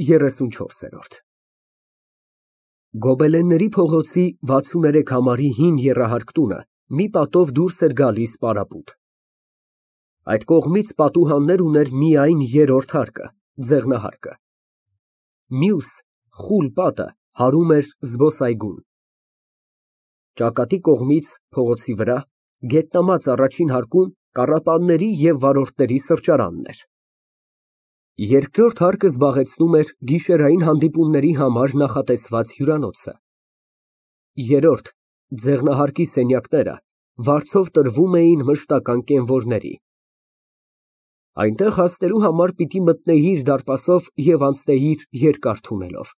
34։ Գոբելենների փողոցի 63 համարի հին եռահարկ տունը մի պատով դուրս էր գալիս պարապուտ։ Այդ կողմից պատուհաններ ուներ միայն երրորդ հարկը, ձեղնահարկը։ Մյուս խուլ պատը հարում էր զբոսայգուն։ Ճակատի կողմից, փողոցի վրա, գետնամած առաջին հարկում կառապանների և վարորդների սրճարանն էր։ Երկրորդ հարկը զբաղեցնում էր գիշերային հանդիպումների համար նախատեսված հյուրանոցը։ Երրորդ, ձեղնահարկի սենյակները վարձով տրվում էին մշտական կենվորների։ Այնտեղ հասնելու համար պիտի մտնեիր դարպասով և անցնեիր երկար թունելով։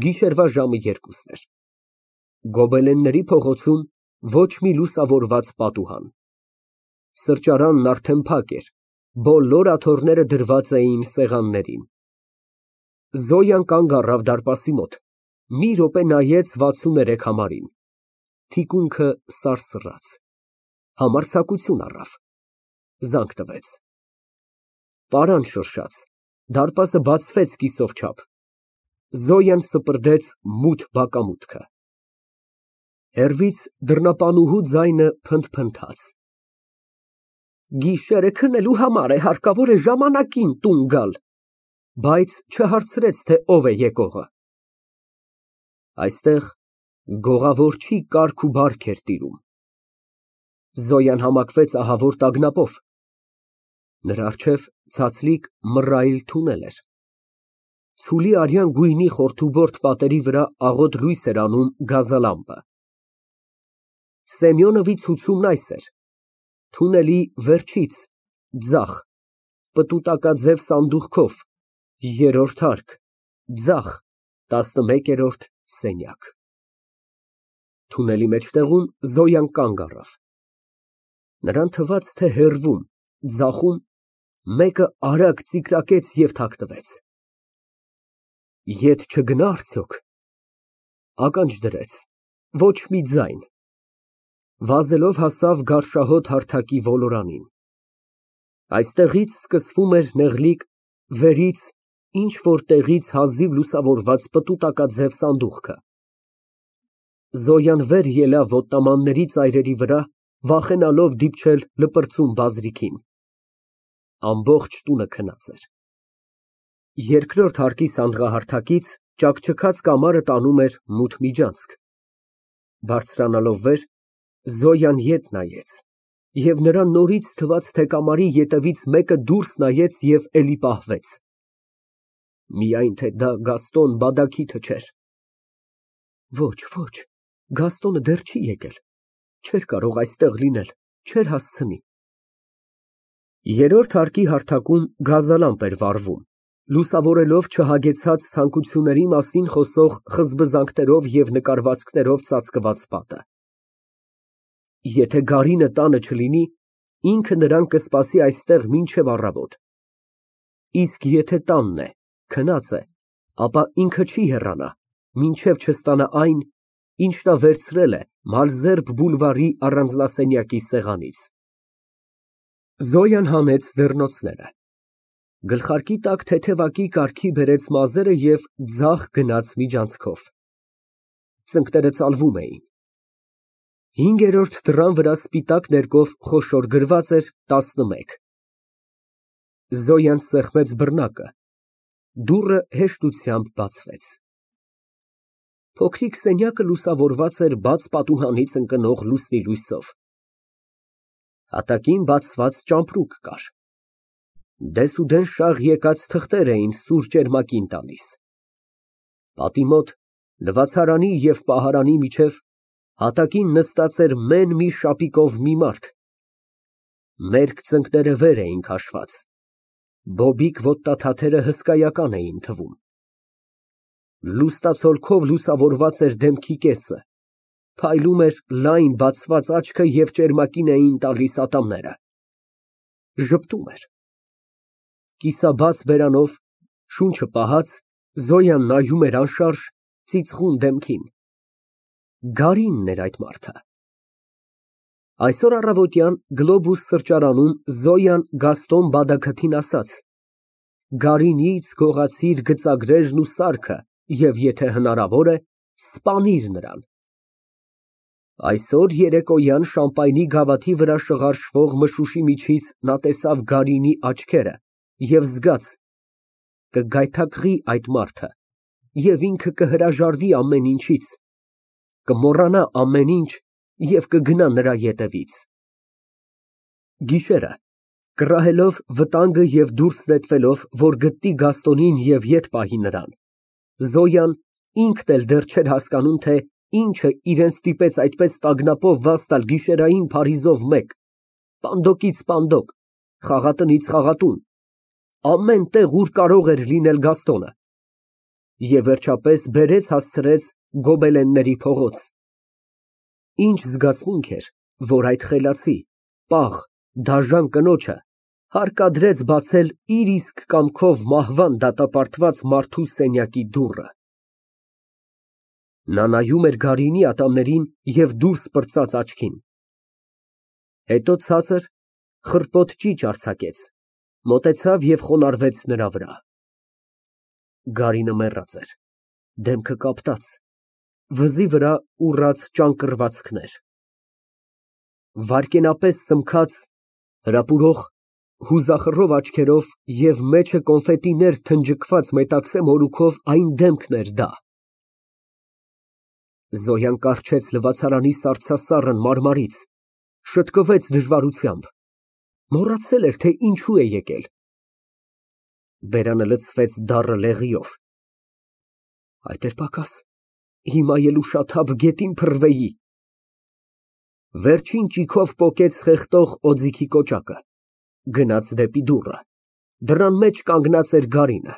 Գիշերվա ժամը 2-ն էր։ Գոբելենների փողոցում ոչ մի լուսավորված պատուհան։ Սրճարանն արդեն փակ էր, բոլոր աթոռները դրված էին սեղաններին։ Զոյան կանգ առավ դարպասի մոտ, մի րոպե նայեց 63 համարին, թիկունքը սարսռաց, համարձակություն առավ, զանգ տվեց։ Պարան շրշաց, դարպասը բացվեց կիսով չափ, Զոյան սպրդեց մութ բակամուտքը։ Հեռվից դռնապանուհու ձայնը փնթփնթաց։ Գիշերը քնելու համար է, հարկավոր է ժամանակին տուն գալ, բայց չհարցրեց, թե ով է եկողը։ Այստեղ գողավորչի կարգ ու բարք էր տիրում։ Զոյան համակվեց ահավոր տագնապով։ Նրա առջև ցածլիկ մռայլ թունել էր։ Ցուլի արյան գույնի խորթուբորդ պատերի վրա աղոտ լույս էր անում գազալամպը։ Սեմյոնովի ցուցումն այս էր. թունելի վերջից, ձախ, պտուտակաձև սանդուղքով, երրորդ հարկ, ձախ, 11-րդ սենյակ։ Թունելի մեջտեղում Զոյան կանգ առավ։ Նրան թվաց, թե հեռվում, ձախում մեկը արագ ծիկրակեց և թաքնվեց։ Ետ չգնա՞ արդյոք։ Ականջ դրեց, ոչ մի ձայն։ Վազելով հասավ գարշահոտ հարթակի ոլորանին։ Այստեղից սկսվում էր նեղլիկ, վերից ինչ֊որ տեղից հազիվ լուսավորված պտուտակաձև սանդուղքը։ Զոյան վեր ելավ ոտնամանների ծայրերի վրա, վախենալով դիպչել լպրծուն բազրիքին։ Ամբողջ տունը քնած էր։ Երկրորդ հարկի սանդղահարթակից ճաքճքած կամարը տանում էր մութ միջանցք։ Բարձրանալով վեր, Զոյան ետ նայեց, և նրան նորից թվաց, թե կամարի ետևից մեկը դուրս նայեց և էլի պահվեց։ Միայն թե դա Գաստոն Բադագիթը չէր։ Ոչ, ոչ, Գաստոնը դեռ չի եկել, չէր կարող այստեղ լինել, չէր հասցնի։ Երրորդ հարկի հարթակում գազալամպ էր վառվում, լուսավորելով չհագեցած ցանկությունների մասին խոսող խզբզանքներով և նկարվածքներով ծածկված պատը։ Եթե գարինը տանը չլինի, ինքը նրան կսպասի այստեղ մինչև առավոտ։ Իսկ եթե տանն է, քնած է, ապա ինքը չի հեռանա, մինչև չստանա այն, ինչ նա վերցրել է Մալզերբ բուլվարի առանձնասենյակի սեղանից։ Զոյան հանեց ձեռնոցները, գլխարկի տակ թեթևակի կարգի բերեց մազերը և ձախ գնաց միջանցքով։ Ծնկները ծալվում էին։ Հինգերորդ դռան վրա սպիտակ ներկով խոշոր գրված էր 11։ Զոյան սեղմեց բռնակը, դուռը հեշտությամբ բացվեց։ Փոքրիկ սենյակը լուսավորված էր բաց պատուհանից ընկնող լուսնի լույսով։ Հատակին բացված ճամպրուկ կար։ Դեսուդեն շաղ եկած թղթեր էին սուր ճերմակին տալիս։ Պատի մոտ, լվացարանի և պահարանի միջև, հատակին նստած էր մեն մի շապիկով մի մարդ։ Մերկ ծնկները վեր էին քաշված, բոբիկ ոտնաթաթերը հսկայական էին թվում։ Լուստացոլքով լուսավորված էր դեմքի կեսը, փայլում էր լայն բացված աչքը և ճերմակին էին տալիս ատամները։ Ժպտում էր։ Կիսաբաց բերանով, շունչը պահած, Զոյան նայում էր անշարժ, ծիծաղուն դեմքին։ Գարինն էր այդ մարդը։ Այսօր առավոտյան Գլոբուս սրճարանում Զոյան Գաստոն Բադագթին ասաց. Գարինից գողացիր գծագրերն ու սարքը և եթե հնարավոր է, սպանիր նրան։ Այսօր երեկոյան շամպայնի գավաթի վրա շղարշվող մշուշի միջից նա տեսավ Գարինի աչքերը և զգաց կգայթակղի այդ մարդը և ինքը կհրաժարվի ամեն ինչից, կմոռանա ամեն ինչ և կգնա նրա ետևից։ Գիշերը, կռահելով վտանգը և դուրս նետվելով, որ գտնի Գաստոնին և ետ պահի նրան, Զոյան ինքն էլ դեռ չէր հասկանում, թե ինչը իրան ստիպեց այդպես տագնապով վազ տալ գիշերային Փարիզով մեկ, պանդոկից պանդոկ, խաղատնից խաղատուն, ամեն տեղ, ուր կարող էր լինել Գաստոնը, և վերջապես բերեց հասցրեց Գոբելենների փողոց։ Ինչ զգացմունք էր, որ այդ խելացի, պաղ, դաժան կնոջը հարկադրեց բացել իր իսկ կամքով մահվան դատապարտված մարդու սենյակի դուռը։ Նա նայում էր Գարինի ատամներին և դուրս պրծած աչքին, հետո ցածր, խռպոտ ճիչ արձակեց, մոտեցավ և խոնարհվեց նրա վրա։ Գարինը մեռած էր, դեմքը կապտած, վզի վրա ուռած ճանկռվածքներ, վայրկենապես սմքած, հրապուրող, հուզախռով աչքերով և մեջը կոնֆետիներ թնջկված մետաքսե մորուքով այն դեմքն էր դա։ Զոյան կառչեց լվացարանի սառցասառն մարմարից, շտկվեց դժվարությամբ, մոռացել էր, թե ինչու է եկել։ Բերանը լցվեց դառը լեղիով։ Այդ էր պակաս, հիմա էլ ուշաթափ գետին փռվեի։ Վերջին ճիգով պոկեց խեղդող օձիքի կոճակը, գնաց դեպի դուռը, դռան մեջ կանգնած էր Գարինը։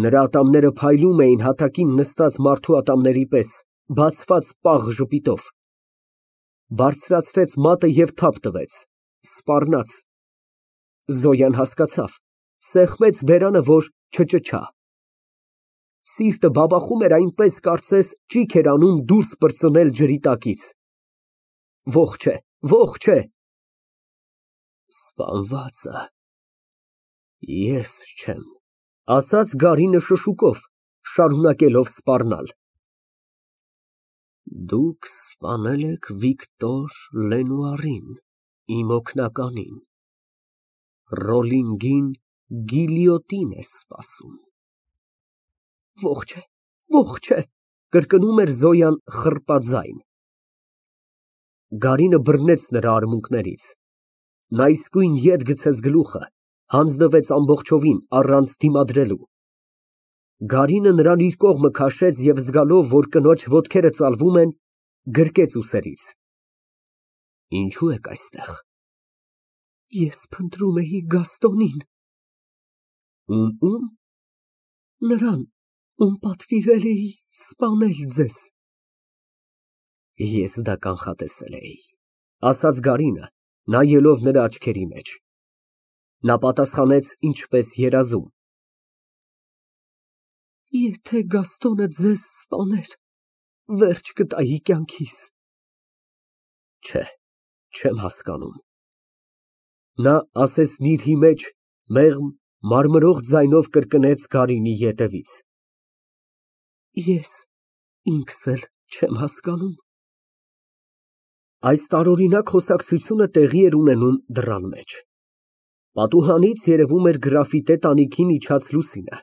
Նրա ատամները փայլում էին հատակին նստած մարդու ատամների պես, բացված պաղ ժպիտով։ Բարձրացրեց մատը և թափ տվեց, սպառնաց։ Զոյան հասկացավ, սեղմեց բերանը, որ չճչա։ Սիրտը բաբախում էր այնպես, կարծես ճիգ էր անում դուրս պրծնել ջրի տակից։ Ողջ է, ողջ է։ Սպանվածը ես չեմ, ասաց Գարինը շշուկով, շարունակելով սպառնալ։ Դուք սպանել եք Վիկտոր Լենուարին, իմ օգնականին, Ռոլինգին գիլյոտին է սպասում։ Ողջ է, կրկնում էր Զոյան խռպաձայն։ Գարինը բռնեց նրա արմունկներից, նա իսկույն ետ գցեց գլուխը, հանձնվեց ամբողջովին, առանց դիմադրելու։ Գարինը նրան իր կողմը քաշեց և զգալով, որ կնոջ ոտքերը ծալվում են, գրկեց ուսերից։ Ինչո՞ւ եք այստեղ։ Ես փնտրում էի Գաստոնին։ Ում։ Նրան, ում պատվիրել էի սպանել ձեզ։ Ես դա կանխատեսել էի, ասաց Գարինը, նայելով նրա աչքերի մեջ։ Նա պատասխանեց ինչպես երազում։ Եթե Գաստոնը ձեզ սպաներ, վերջ կտայի կյանքիս։ Չէ, չեմ հասկանում։ Նա ասեսնիրհի մեջ մեղմ, մարմրող ձայնով կրկնեց Գարինի ետևից։ Ես ինքս էլ չեմ հասկանում։ Այս տարօրինակ խոսակցությունը տեղի էր ունենում դռան մեջ։ Պատուհանից երևում էր գրաֆիտե տանիքին իջած լուսինը։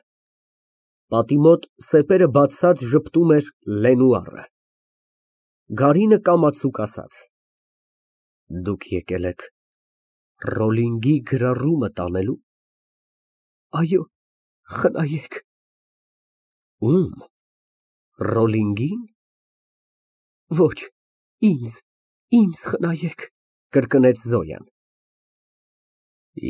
Պատի մոտ սեպերը բացած ժպտում էր Լենուարը։ Գարինը կամացուկ ասաց. Դուք եկել եք Ռոլինգի գրառումը տանելու։ Այո, խնայեք։ Ում։ Ռոլինգին։ Ոչ, ինձ խնայեք, կրկնեց Զոյան։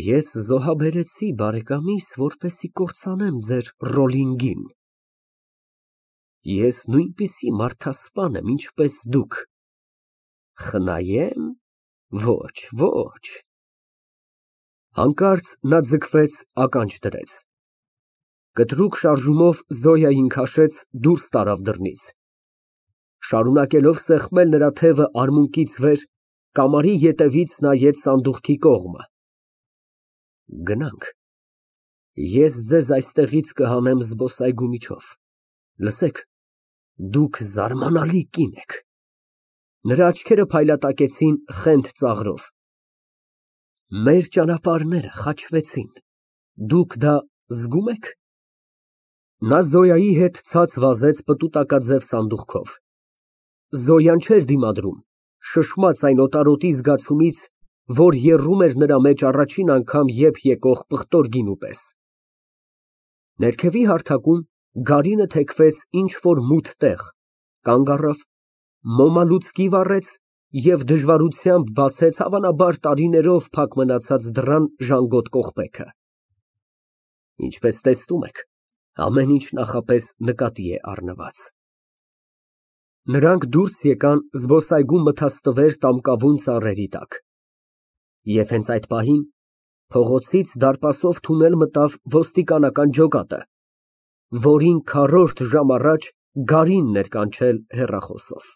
Ես զոհաբերեցի բարեկամիս, որպեսզի կործանեմ ձեր Ռոլինգին։ Ես նույնպիսի մարդասպան եմ, ինչպես դուք։ Խնայեմ։ Ոչ։ Հանկարծ նա ձգվեց, ականջ դրեց։ Կտրուկ շարժումով Զոյային քաշեց, դուրս տարավ դռնից։ Շարունակելով սեղմել նրա թևը արմունկից վեր, կամարի ետևից նայեց սանդուղքի կողմը։ Գնանք։ Ես ձեզ այստեղից կհանեմ զբոսայգու միջով, լսեք, դուք զարմանալի կին եք։ Նրա աչքերը փայլատակեցին խենթ ծաղրով։ Մեր ճանապարհները խաչվեցին, դուք դա զգում եք։ Նա Զոյայի հետ ցած վազեց պտուտակաձև սանդուղքով։ Զոյան չէր դիմադրում, շշմած այն օտարոտի զգացումից, որ եռում էր նրա մեջ առաջին անգամ եփ եկող պղտոր գինու պես։ Ներքևի հարթակում գարինը թեքվեց ինչ֊որ մութ տեղ, կանգ առավ, մոմալուծկի վառեց և դժվարությամբ բացեց հավանաբար տարիներով փակ մնացած դռան ժանգոտ կողպեքը։ Ինչպես տեսնում եք, ամեն ինչ նախապես նկատի է առնված։ Նրանք դուրս եկան զբոսայգու մթաստվեր տամկավուն ծառերի տակ։ Եվ հենց այդ պահին փողոցից դարպասով թունել մտավ ոստիկանական ջոկատը, որին քառորդ ժամ առաջ գարինն էր կանչել հեռախոսով։